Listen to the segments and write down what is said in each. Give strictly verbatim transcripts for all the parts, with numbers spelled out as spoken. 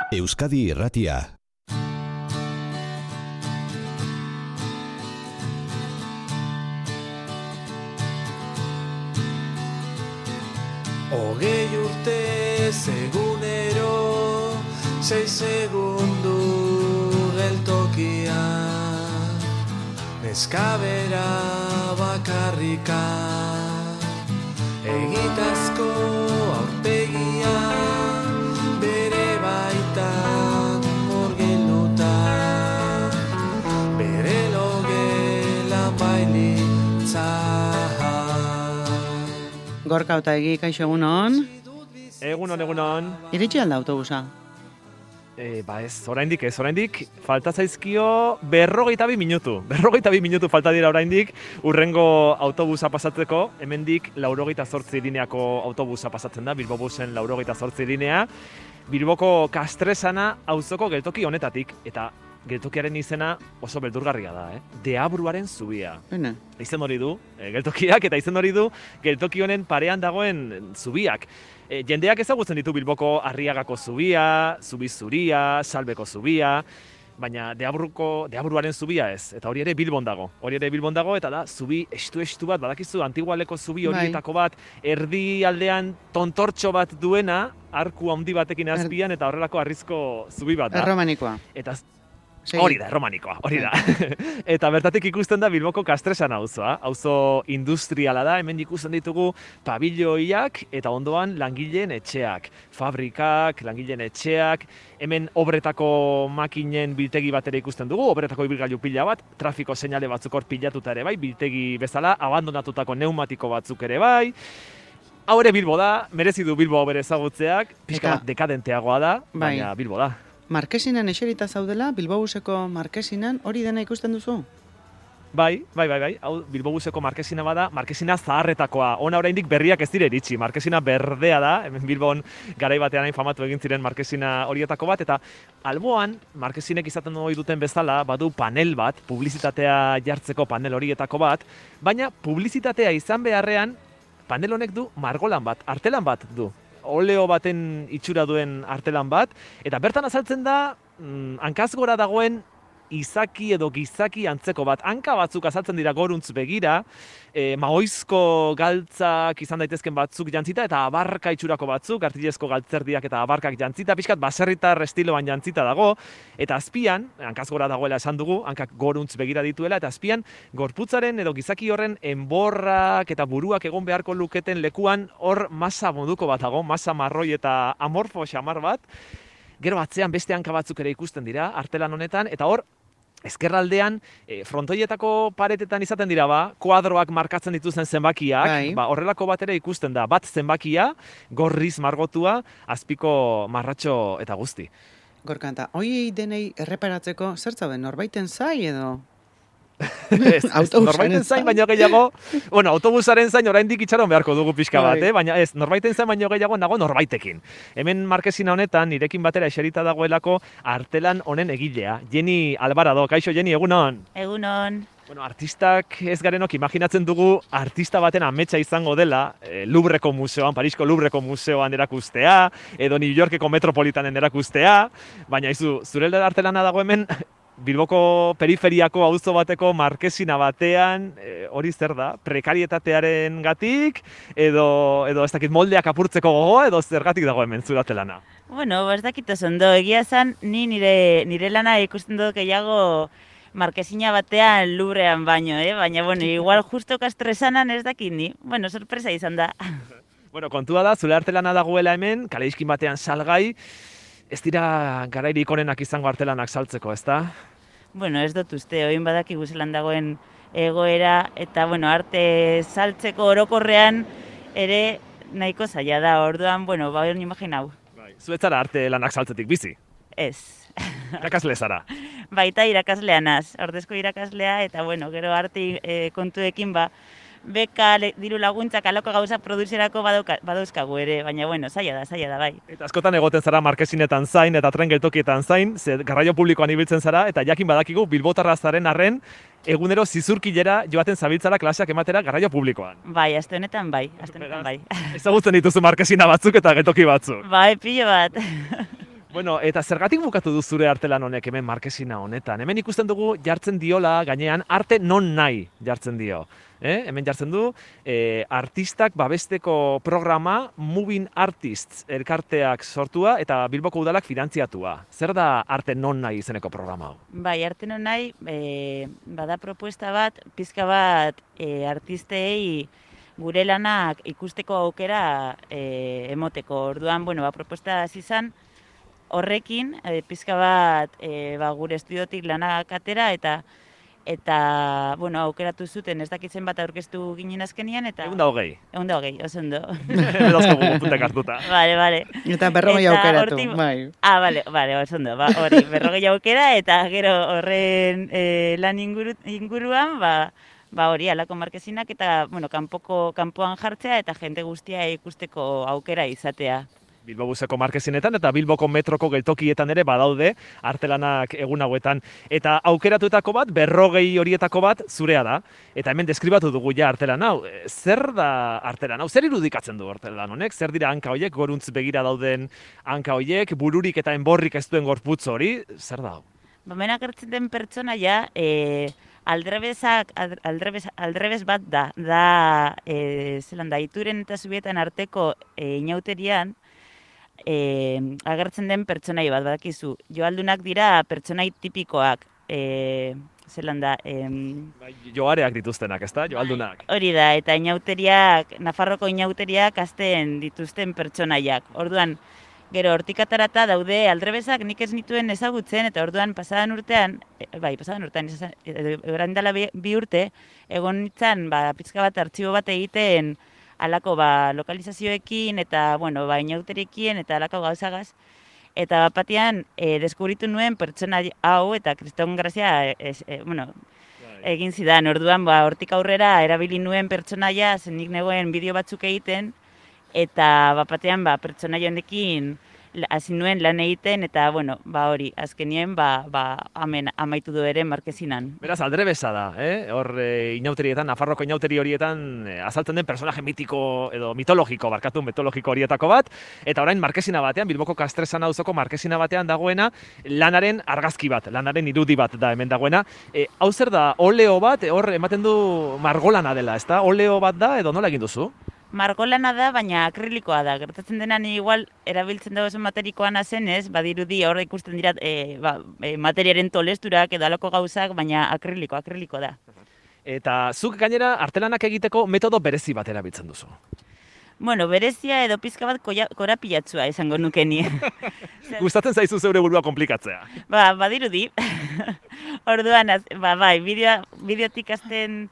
Euskadi Irratia. Hogei urte egunero, sei segundu geltokia, neskabera bakarrika, egitazko aurpegia, bere baitan murgilduta, bere logelan bailitza. Gorka Otaegi, kaixo egunon. Egunon, egunon. Iritsi alda autobusa? E, ba ez, oraindik ez, oraindik falta zaizkio berrogeita bi minutu. Berrogeita bi minutu falta dira oraindik urrengo autobusa pasatzeko. Hemendik laurogeita zortzi lineako autobusa pasatzen da, Bilbobusen laurogeita zortzi linea. Bilboko Kastresana auzoko geltoki honetatik, eta geltokiaren izena oso beldurgarria da, eh? Deabruaren zubia. Bene. Izen hori du, e, geltokiak, eta izen hori du geltoki honen parean dagoen zubiak. E, jendeak ezagutzen ditu Bilboko Arriagako zubia, Zubi Zuria, Salbeko zubia, baina Deabruko, Deabruaren zubia ez, eta hori ere Bilbon dago. Hori ere Bilbon dago, eta da zubi estu-estu bat, badakizu, Antigualeko zubi horietako bat, erdi aldean tontortxo bat duena, arku handi batekin azpian, eta horrelako harrizko zubi bat da. Erromanikoa. Eta hori da, erromanikoa, hori da. Eta bertatik ikusten da Bilboko Kastresana auzoa. Auzo industriala da, hemen ikusten ditugu pabilloiak eta ondoan langileen etxeak. Fabrikak, langileen etxeak, hemen obretako makinen biltegi bat ere ikusten dugu, obretako ibilgailu pila bat, trafiko seinale batzuk hor pilatuta ere bai, biltegi bezala, abandonatutako pneumatiko batzuk ere bai. Hau ere Bilbo da, merezi du Bilbo bere ezagutzeak, pixka bat dekadenteagoa da, baina Bilbo da. Markesinan eserita zaudela, Bilbobuseko Markesinan, hori dena ikusten duzu? Bai, bai, bai, bai. Hau Bilbobuseko Markesina bada, Markesina zaharretakoa. Ona oraindik berriak ez dire iritsi. Markesina berdea da, hemen Bilbon garai batean hain famatu egin ziren Markesina horietako bat, eta alboan, Markesinek izaten ohi duten bezala, badu panel bat, publizitatea jartzeko panel horietako bat, baina publizitatea izan beharrean, panel honek du margolan bat, artelan bat du. Oleo baten itxura duen artelan bat, eta bertan azaltzen da mm, hankaz gora dagoen izaki edo gizaki antzeko bat. Hanka batzuk azaltzen dira goruntz begira, e, maoizko galtzak izan daitezken batzuk jantzita, eta abarka itxurako batzuk, artilezko galtzerdiak eta abarkak jantzita, pixkat baserritar estiloan jantzita dago, eta azpian, hankaz gora dagoela esan dugu, hankak goruntz begira dituela, eta azpian gorputzaren edo gizaki horren enborrak eta buruak egon beharko luketen lekuan hor masa moduko bat dago, masa marroi eta amorfo xamar bat. Gero atzean beste hanka batzuk ere ikusten dira, artelan honetan, eta hor ezkerraldean, e, frontoietako paretetan izaten dira ba, kuadroak markatzen dituzten zenbakiak, bai. Ba, horrelako bat ere ikusten da, bat zenbakia, gorriz margotua, azpiko marratxo eta guzti. Gorkanta, hoiei denei erreparatzeko zertzauden norbaiten zai edo? Ez, ez, norbaiten zain baino gehiago, bueno, autobusaren zain oraindik itxaron beharko dugu pixka bat, eh? Baina ez, norbaiten zain baino gehiago nago norbaitekin. Hemen Markesina honetan, nirekin batera eserita dagoelako artelan honen egilea, Jenny Alvarado. Kaixo, Jenny, egunon? Egunon. Bueno, artistak ez garenok imaginatzen dugu artista baten ametsa izango dela e, Louvreko museoan, Parisko Louvreko museoan erakustea, edo New Yorkeko Metropolitanen erakustea, baina izu, zure artelana dago hemen, Bilboko periferiako auzo bateko Markesina batean, e, hori zer da, prekarietatearen gatik, edo, edo ez dakit moldeak apurtzeko gogoa, edo zergatik dago hemen zurate lana? Bueno, ez dakit oso ondo, egia zan, ni nire, nire lana ikusten dut gehiago Markesina batean Louvrean baino, eh? Baina, bueno, igual justo Kastresanan ez dakit ni. Bueno, sorpresa izan da. Bueno, kontua da, zure artelana dagoela hemen, kaleiskin batean salgai, ez dira garairik onenak izango artelanak saltzeko, ezta? Bueno, ez dut uste, oin badakigu zelan dagoen egoera, eta bueno, arte saltzeko orokorrean ere nahiko zaila da, orduan, bueno, ba, hori imaginau. Bai, zuetzara arte lanak saltzetik bizi? Ez. Irakasle zara? Baita irakaslea naz, ordezko irakaslea, eta bueno, gero arte e, kontuekin ba, beka, le, diru laguntzak aloko gauza produzierako badauzkagu ere, baina bueno, zaila da, zaila da, bai. Eta askotan egoten zara Markesinetan zain eta tren geltokietan zain, ze garraio publikoan ibiltzen zara, eta jakin badakigu bilbotarra zaren arren, egunero zizurkilera joaten zabiltzara klaseak ematera garraio publikoan. Bai, aste honetan bai, aste honetan bai. Ezagutzen dituzu Markesina batzuk eta geltoki batzuk. Bai, pilo bat. Bueno, eta zergatik bukatu du zure artelan honek hemen markesina honetan? Hemen ikusten dugu jartzen diola gainean arte non nahi jartzen dio. Eh? Hemen jartzen du eh, artistak babesteko programa Moving Artists elkarteak sortua eta Bilboko udalak finantziatua. Zer da arte non nahi izeneko programa hau? Bai, arte non nahi, e, bada propuesta bat, pizka bat e, artistei gure lanak ikusteko aukera e, emoteko. Orduan, bueno, ba, propuesta hasi izan, horrekin, e, pizka bat e, ba, gure estudiotik lanak atera eta eta, bueno, aukeratu zuten ez dakitzen bat aurkeztu ginen azkenian eta... Egun da hogei. Egun da hogei, oso ondo. Dazkogu puntak hartuta. Vale, vale. Eta berrogei Eta aukeratu, hortik- bai. Ah, vale, vale, oso ondo, ba, hori, berrogei aukera eta gero horren e, lan inguru, inguruan, ba, ba hori, alako markesinak eta, bueno, kanpoko, kanpoan jartzea eta jende guztia ikusteko aukera izatea. Bilbo Buseko markesinetan eta Bilboko metroko geltokietan ere badaude artelanak egun hauetan. Eta aukeratuetako bat, berrogei horietako bat zurea da. Eta hemen deskribatu dugu ja artelan hau. E, Zer da artelan hau? Zer irudikatzen du artelan honek? Zer dira hanka hoiek, goruntz begira dauden hanka hoiek, bururik eta enborrik ez duen gorputz hori? Zer da hau? Ba, hemen agertzen den pertsonaia, e, aldrebesak, aldrebes, aldrebes bat da, da, e, zelan da, Ituren eta Zubietan arteko e, inauterian, e, agertzen den pertsonai bat, badakizu. Joaldunak dira pertsonai tipikoak, e, zelan da, em, Bai, joareak dituztenak, ezta? Joaldunak. hori da, eta inauteriak, Nafarroko inauteriak azten dituzten pertsonaiak. Orduan, gero hortik atarata daude aldrebesak nik ez nituen ezagutzen, eta orduan pasadan urtean, e, bai, pasadan urtean, orain dela bi, bi urte, egon nintzen, ba, pizka bat artxibo bat egiten, alako ba, lokalizazioekin eta bueno, ba, inauteriekin eta alako gauzagaz. Eta bat batean e, deskubritu nuen pertsona hau eta kriston grazia e, e, bueno, egin zidan. Orduan ba, hortik aurrera erabili nuen pertsonaia, zen nik negoen bideo batzuk egiten eta bat batean ba, pertsonaia honekin hasi nuen lan egiten eta bueno, ba hori, azkenien ba, ba, amen, amaitu du ere markesinan. Beraz, aldrebesa da, eh? Hor e, inauterietan, Nafarroko inauteri horietan e, azaltzen den personaje mitiko edo mitologiko, barkatu mitologiko horietako bat, eta orain markesina batean, Bilboko Kastresan auzoko markesina batean dagoena, lanaren argazki bat, lanaren irudi bat da hemen dagoena. E, hau zer da, oleo bat, hor ematen du margolana dela, ezta? Oleo bat da edo nola egin duzu? Margolana da, baina akrilikoa da. Gertatzen dena ni igual erabiltzen dago oso materikoana zenez, badirudi hor ikusten dira e, ba, e, materiaren tolesturak edo alako gauzak, baina akriliko, akriliko da. Eta zuk gainera artelanak egiteko metodo berezi bat erabiltzen duzu. Bueno, berezia edo pizka bat koia- korapilatsua izango nuke ni. Gustatzen zaizu zeure burua komplikatzea. Ba, badirudi. Orduan, az- ba, bai, bideo, bideotik azten...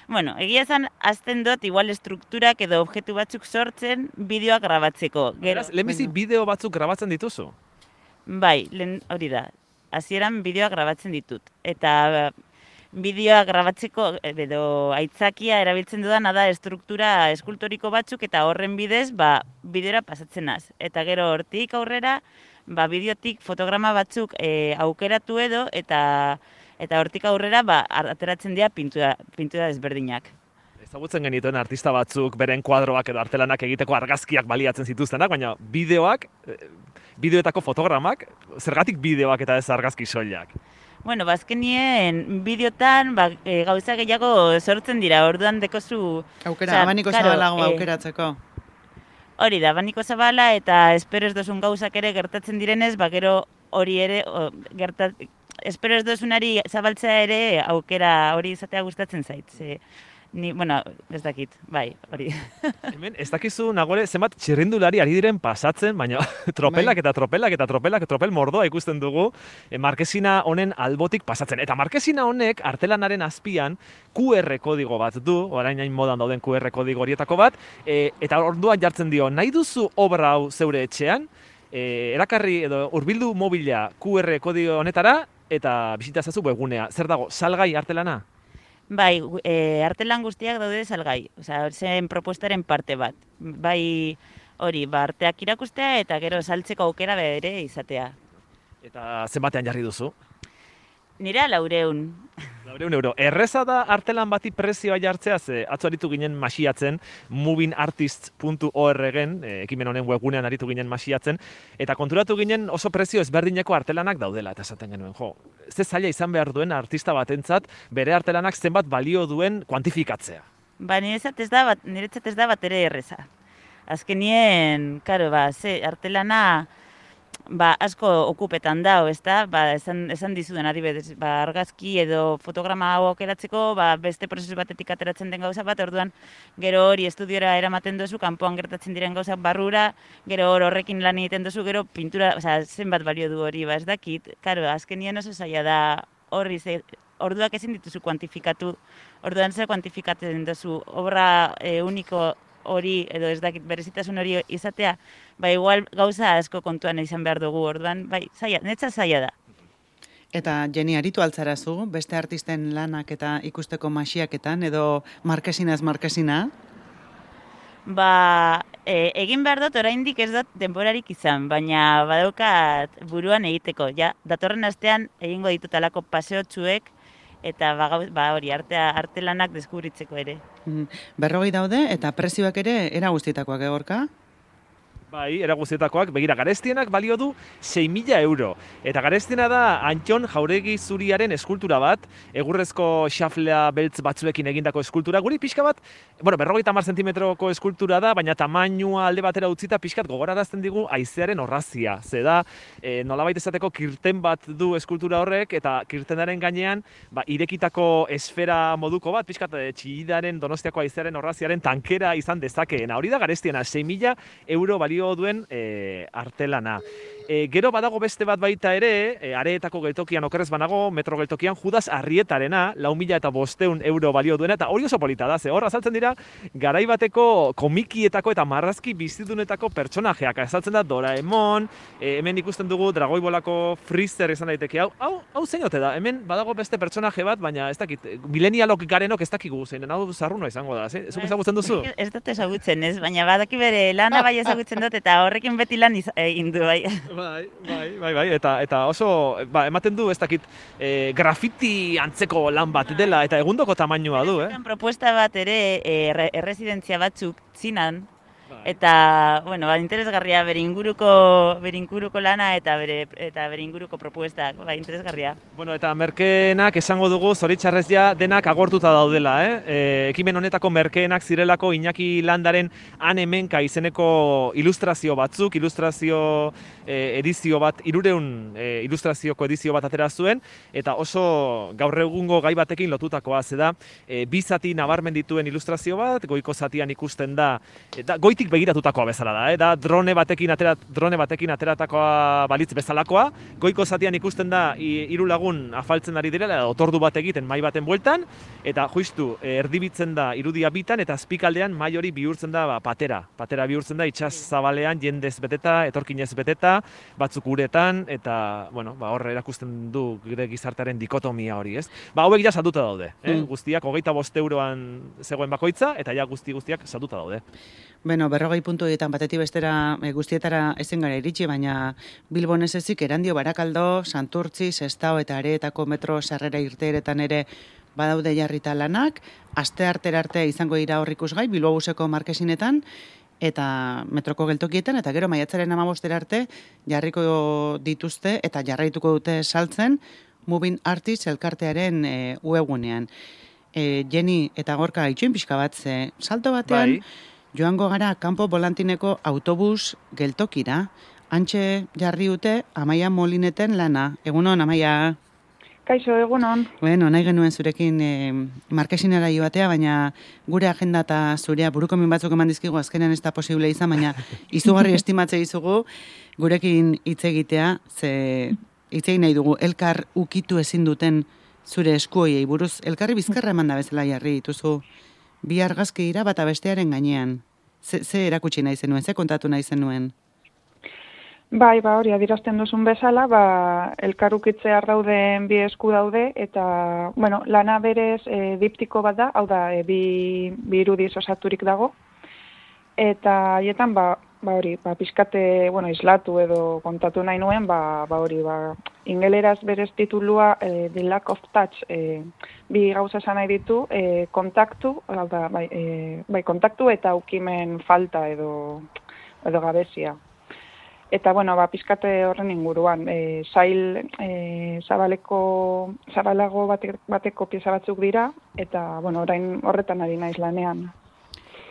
Bueno, egia esan, azten dut igual estrukturak edo objektu batzuk sortzen bideoak grabatzeko. Gero, Beraz, lehenbizi bideo batzuk grabatzen dituzu? bai, lehen hori da. Hasieran bideoak grabatzen ditut. Eta bideoak grabatzeko edo aitzakia erabiltzen dudana da estruktura eskultoriko batzuk eta horren bidez, ba, bideora pasatzen naz. Eta gero hortik aurrera, ba, bideotik fotograma batzuk e, aukeratu edo eta eta hortik aurrera ba, ateratzen dira pintura, pintura desberdinak. Ezagutzen genituen artista batzuk beren kuadroak edo artelanak egiteko argazkiak baliatzen zituztenak, baina bideoak, eh, bideoetako fotogramak, zergatik bideoak eta ez argazki soilak? Bueno, bazkenien bideotan ba, e, gauza gehiago sortzen dira, orduan dekozu... Aukera, osea, abaniko claro, zabalago eh, aukeratzeko. Hori da, abaniko zabala eta espero ez dozun gauzak ere gertatzen direnez, ba gero hori ere o, gertat, espero ez dozunari zabaltzea ere aukera hori izatea gustatzen zait. Ze, ni, bueno, ez dakit, bai, hori. Hemen, ez dakizu nagore zenbat txirrindulari ari diren pasatzen, baina tropelak eta tropelak eta tropelak, tropel mordoa ikusten dugu e, markesina honen albotik pasatzen. Eta markesina honek artelanaren azpian Q R kodigo bat du, orain hain modan dauden Q R kodigo horietako bat, e, eta orduan jartzen dio, nahi duzu obra hau zeure etxean, e, erakarri edo hurbildu mobila Q R kodigo honetara, eta bisita zazu webgunea. Zer dago, salgai artelana? Bai, e, artelan guztiak daude salgai, osea, zen propuestaren parte bat. Bai, hori, ba, arteak irakustea eta gero saltzeko aukera bere izatea. Eta zenbatean jarri duzu? Nira laureun. Laurehun euro. Erreza da artelan bati prezioa jartzea, ze atzo aritu ginen masiatzen, moving artists puntu org-en, e, ekimen honen webgunean aritu ginen masiatzen, eta konturatu ginen oso prezio ezberdineko artelanak daudela, eta esaten genuen, jo, ze zaila izan behar duen artista batentzat bere artelanak zenbat balio duen kuantifikatzea. Ba, niretzat ez da, bat, niretzat ez da bat ere erreza. Azkenien, karo, ba, ze, artelana, ba, asko okupetan dao, ez da, ba, esan, esan dizuden adibidez, ba, argazki edo fotograma hau aukeratzeko, ba, beste prozesu batetik ateratzen den gauza bat, orduan, gero hori estudiora eramaten duzu, kanpoan gertatzen diren gauzak barrura, gero hor horrekin lan egiten duzu, gero pintura, osea, zenbat balio du hori, ba, ez dakit, karo, azkenien oso zaila da horri, ze, orduak ezin dituzu kuantifikatu, orduan zer kuantifikatzen duzu, obra e, uniko hori, edo ez dakit berezitasun hori izatea, ba igual gauza asko kontuan izan behar dugu, orduan, bai, zaila, netza zaila da. Eta Jenny, aritu altzarazu, beste artisten lanak eta ikusteko masiaketan, edo markesinaz markesina? Ba, e, egin behar dut, oraindik ez dut denborarik izan, baina badaukat buruan egiteko, ja, datorren astean egingo ditut alako paseotsuek, eta ba, ba hori, artea, artelanak deskubritzeko ere. Berrogei daude, eta prezioak ere era guztietakoak egorka? Bai, era guztietakoak, begira, garestienak balio du sei mila euro. Eta garestiena da Antxon Jauregi Zuriaren eskultura bat, egurrezko xaflea beltz batzuekin egindako eskultura. Guri pixka bat, bueno, berrogeita hamar zentimetroko eskultura da, baina tamainua alde batera utzita pixkat gogorarazten digu haizearen orrazia. Ze da, e, nolabait esateko kirten bat du eskultura horrek, eta kirtenaren gainean, ba, irekitako esfera moduko bat, pixkat e, Txillidaren Donostiako haizearen orraziaren tankera izan dezakeena. Hori da garestiena, sei mila euro balio duen e, artelana. E, gero badago beste bat baita ere, e, areetako geltokian okerrez banago, metro geltokian Judas Arrietarena, lau mila eta bosteun euro balio duena, eta hori oso polita da, ze hor azaltzen dira, garai bateko komikietako eta marrazki bizidunetako pertsonajeak. Azaltzen da Doraemon, e, hemen ikusten dugu Dragoibolako Freezer izan daiteke, hau, hau, hau zein ote da, hemen badago beste pertsonaje bat, baina ez dakit, milenialok garenok ez dakigu zeinen, hau zarruna izango da, ze? Zuk ezagutzen duzu? Ez dut ezagutzen, ez, baina badaki bere lana bai ezagutzen dut, eta horrekin beti lan egin du, bai. Bai, bai, bai, bai, eta, eta oso, ba, ematen du, ez dakit, e, grafiti antzeko lan bat dela, eta egundoko tamainua du, eh? Propuesta bat ere, e, erresidentzia batzuk zinan, eta, bueno, ba, interesgarria bere inguruko, bere inguruko lana eta bere, eta bere inguruko propuestak, ba, interesgarria. Bueno, eta merkeenak esango dugu, zoritxarrez ja, denak agortuta daudela, eh? E, ekimen honetako merkeenak zirelako Iñaki Landaren Han Hemenka izeneko ilustrazio batzuk, ilustrazio e, edizio bat, irureun e, ilustrazioko edizio bat atera zuen, eta oso gaur egungo gai batekin lotutakoa, zeda, e, bi zati nabarmen dituen ilustrazio bat, goiko zatian ikusten da, eta goitik begiratutakoa bezala da, eh? Da drone batekin, atera, drone batekin ateratakoa balitz bezalakoa, goiko zatian ikusten da hiru lagun afaltzen ari direla, otordu bat egiten mai baten bueltan, eta justu erdibitzen da irudia bitan, eta azpikaldean mai hori bihurtzen da ba, patera. Patera bihurtzen da itsas zabalean jendez beteta, etorkinez beteta, batzuk uretan, eta bueno, ba, horre erakusten du gure gizartearen dikotomia hori, ez? Ba, hauek ja salduta daude, eh? Mm. Guztiak hogeita bost euroan zegoen bakoitza, eta ja guzti guztiak salduta daude. Bueno, berrogei puntu egiten batetik bestera e, guztietara ezin gara iritsi, baina Bilbon ez ezik Erandio, Barakaldo, Santurtzi, Sestao eta Areetako metro sarrera irteeretan ere badaude jarrita lanak, aste artera arte izango dira hor ikusgai, Bilbobuseko markesinetan, eta metroko geltokietan, eta gero maiatzaren hamabostera arte jarriko dituzte eta jarraituko dute saltzen Moving Artists elkartearen e, webgunean. E, Jenny eta Gorka itxoin pixka bat, ze salto batean, bai. Joango gara kanpo volantineko autobus geltokira, antxe jarri dute Amaia Molineten lana. Egunon, Amaia? Kaixo, egunon. Bueno, nahi genuen zurekin e, markesinera joatea, baina gure agenda eta zurea buruko min batzuk eman dizkigu azkenean ez da posible izan, baina izugarri estimatze izugu gurekin hitz egitea, ze hitz egin nahi dugu elkar ukitu ezin duten zure eskuoiei buruz, elkarri bizkarra eman da bezala jarri dituzu. Bi argazki dira bata bestearen gainean. Ze, ze erakutsi nahi zenuen, ze kontatu nahi zenuen? Bai, ba hori adierazten duzun bezala, ba elkarukitzear dauden bi esku daude eta bueno, lana berez e, diptiko bat da, hau da, e, bi, bi irudiz osaturik dago. Eta haietan ba ba hori, ba pizkate, bueno, islatu edo kontatu nahi nuen, ba ba hori, ba ingeleraz berez titulua e, The Lack of Touch, e, bi gauza esan nahi ditu, e, kontaktu, da, bai, e, bai, kontaktu eta ukimen falta edo, edo gabezia. Eta, bueno, ba, pizkate horren inguruan, e, zail e, zabaleko, zabalago bate, bateko pieza batzuk dira, eta, bueno, orain horretan ari naiz lanean.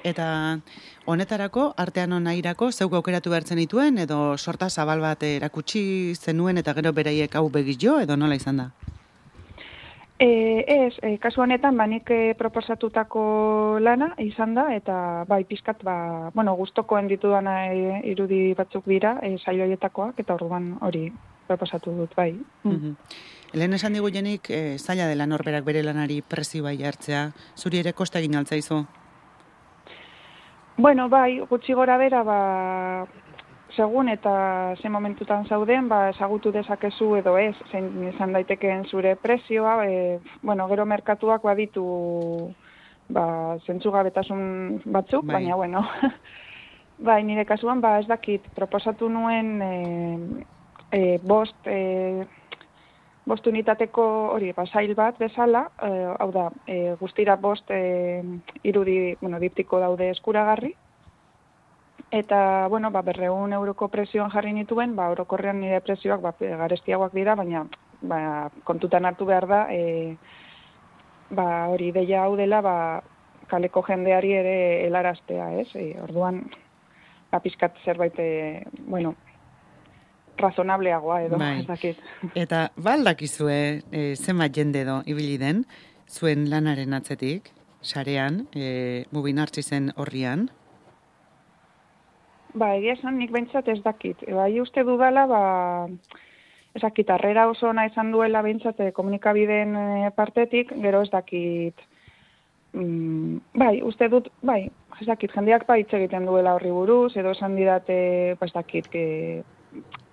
Eta honetarako, artean onairako, zeuk aukeratu behartzen dituen, edo sorta zabal bat erakutsi zenuen, eta gero beraiek hau begiz jo, edo nola izan da? E, ez, e, kasu honetan, ba, nik e, proposatutako lana izan da, eta bai, pizkat, ba, bueno, gustokoen ditudana e, irudi batzuk dira, e, saioietakoak, eta orduan hori proposatu dut, bai. Mm. Mm-hmm. Lehen esan digu jenik, e, zaila dela norberak bere lanari prezio bai hartzea, zuri ere kosta egin altzaizu? Bueno, bai, gutxi gora bera, ba, segun eta ze momentutan zauden, ba, ezagutu dezakezu edo ez, zein izan daitekeen zure prezioa, e, bueno, gero merkatuak baditu ba, zentzugabetasun batzuk, bai. Baina, bueno, bai, nire kasuan, ba, ez dakit, proposatu nuen e, e, bost, e, bost unitateko hori, ba, zail bat bezala, e, hau da, e, guztira bost e, irudi, bueno, diptiko daude eskuragarri, eta, bueno, ba, berreun euroko prezioan jarri nituen, ba, orokorrean nire prezioak ba, garestiagoak dira, baina ba, kontutan hartu behar da, e, ba, hori deia hau dela, ba, kaleko jendeari ere helaraztea, ez? E, orduan, ba, pizkat zerbait, e, bueno, razonableagoa edo, bai. Ez dakit. Eta baldakizue e, zenbat jende edo ibili den, zuen lanaren atzetik, sarean, e, Mubinartxizen horrian? Ba, egia esan nik behintzat ez dakit. E, bai uste dudala, ba, ez dakit, harrera oso ona izan duela behintzat e, komunikabideen e, partetik, gero ez dakit, mm, bai, uste dut, bai, ez dakit, jendeak ba hitz egiten duela horri buruz, edo esan didate, ba, ez dakit, que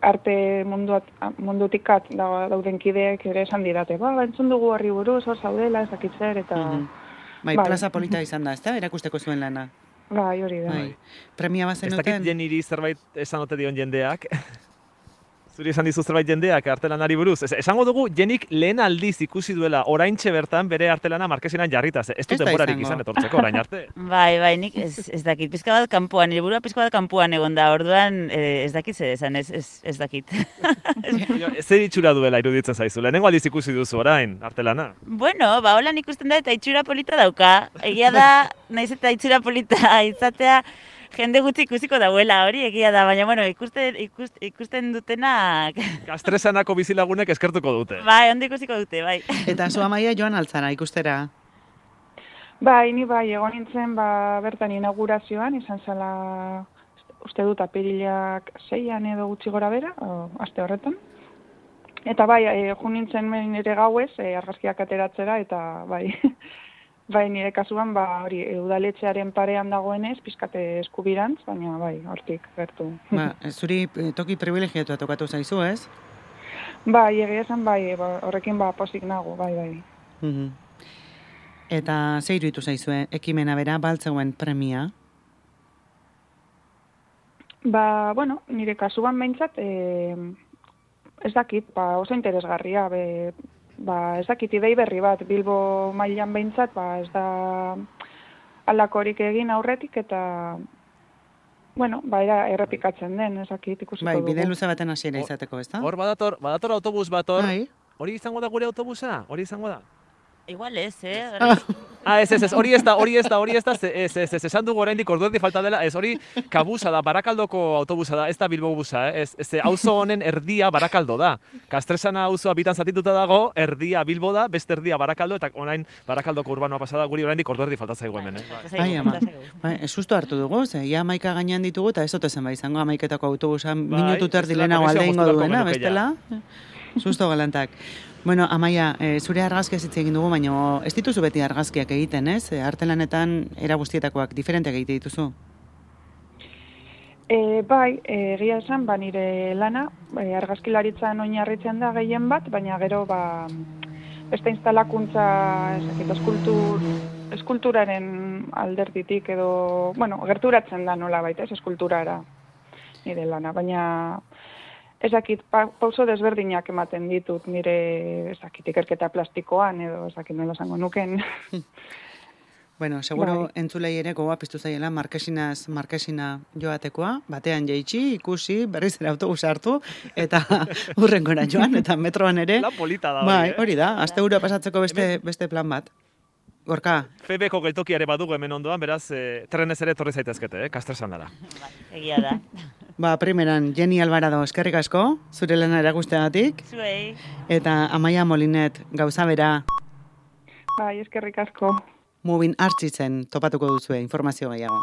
arte munduat, mundutikat dauden kideek ere esan didate, ba, entzun dugu horri buruz, hor zaudela, ez dakit zer, eta... Mm-hmm. Bai, bai, plaza polita izan da, ezta? Erakusteko zuen lana. Bai, hori da. Bai. Premia bat Ez zenuten? dakit jeniri zerbait esan ote dion jendeak. Zuri esan dizu zerbait jendeak artelanari buruz. Ez, esango dugu jenik lehen aldiz ikusi duela oraintxe bertan bere artelana markesinan jarrita. Ez du Ez da denborarik izango. izan etortzeko orain arte. Bai, bai, nik ez, ez dakit, pizka bat kanpoan, nire burua pizka bat kanpoan egon da, orduan eh, ez dakit zer esan, ez, ez, ez dakit. Zer itxura duela iruditzen zaizu? Lehenengo aldiz ikusi duzu orain artelana. Bueno, ba, holan ikusten da eta itxura polita dauka. Egia da, naiz eta itxura polita izatea, jende gutxi ikusiko dauela, hori egia da, baina bueno, ikusten, ikusten, ikusten dutenak... Kastresanako bizilagunek eskertuko dute. Bai, ondo ikusiko dute, bai. Eta zu amaia joan altzara ikustera? Bai, ni bai, egon nintzen ba, bertan inaugurazioan, izan zela, uste dut, apirilak seian edo gutxi gora bera, o, aste horretan. Eta bai, e, jo nintzen nire gauez, e, argazkiak ateratzera, eta bai, bai, nire kasuan, ba, hori, udaletxearen parean dagoenez, pizkate eskubirantz, baina bai, hortik gertu. Ba, zuri toki privilegiatua tokatu zaizu, ez? Bai, egia esan, bai, ba, horrekin ba, posik nago, bai, bai. Mm-hmm. Eta ze iruditu zaizue, ekimena bera, baltzeuen premia? Ba, bueno, nire kasuan behintzat, e, ez dakit, ba, oso interesgarria, be, ba, ez dakit idei berri bat, Bilbo mailan behintzat, ba, ez da alakorik egin aurretik, eta, bueno, ba, era errepikatzen den, ez dakit ikusiko Bai, dugu. bide luze baten hasiera izateko, ezta? Hor badator, badator autobus bat hor. Bai. Hori izango da gure autobusa? Hori izango da? Igual ez, eh? Ah, ez, ez, ez, hori ez da, hori ez da, hori ez da, ez, ez, ez, esan dugu oraindik ordu erdi falta dela, ez, hori kabusa da, Barakaldoko autobusa da, ez da Bilbo busa, eh? ez, ez, auzo honen erdia Barakaldo da. Kastresana auzoa bitan zatituta dago, erdia Bilbo da, beste erdia Barakaldo, eta orain Barakaldoko urbanoa pasada guri oraindik ordu erdi falta zaigu hemen, eh? Bai, ama, bai, susto hartu dugu, ze, ia amaika gainean ditugu, eta ez ote zen bai izango amaiketako autobusa minutu terdi lehenago alde ingo duena, bestela, susto galantak. Bueno, Amaia, e, zure argazkiaz hitz egin dugu, baina ez dituzu beti argazkiak egiten, ez? E, artelanetan era guztietakoak diferenteak egite dituzu? E, bai, egia esan, ba, nire lana, e, argazkilaritzan oinarritzen da gehien bat, baina gero, ba, beste instalakuntza, ezakit, eskultur, eskulturaren alderditik edo, bueno, gerturatzen da nola baita, ez eskulturara nire lana, baina ezakit, pa, pauso desberdinak ematen ditut, nire, ezakit, ikerketa plastikoan, edo, ezakit, nola esango nuken. Bueno, seguro Bai. entzulei ere gogoa piztu zaiela markesinaz markesina joatekoa, batean jaitsi, ikusi, berriz ere autobusa hartu, eta hurrengora joan, eta metroan ere. Lan polita da hori, Bai, eh? hori da, asteburu pasatzeko beste, beste plan bat. Gorka, Febeko geltokia ere badugu hemen ondoan, beraz, e, trenez ere torri zaitezkete, eh? Kastresan dara. Bai, egia da. ba, primeran, Jenny Alvarado eskerrik asko, zure lana erakusteagatik, Zuei. eta Amaia Molinet gauza bera, Bai, eskerrik asko. Mubin Artxitzen topatuko duzue informazio gehiago.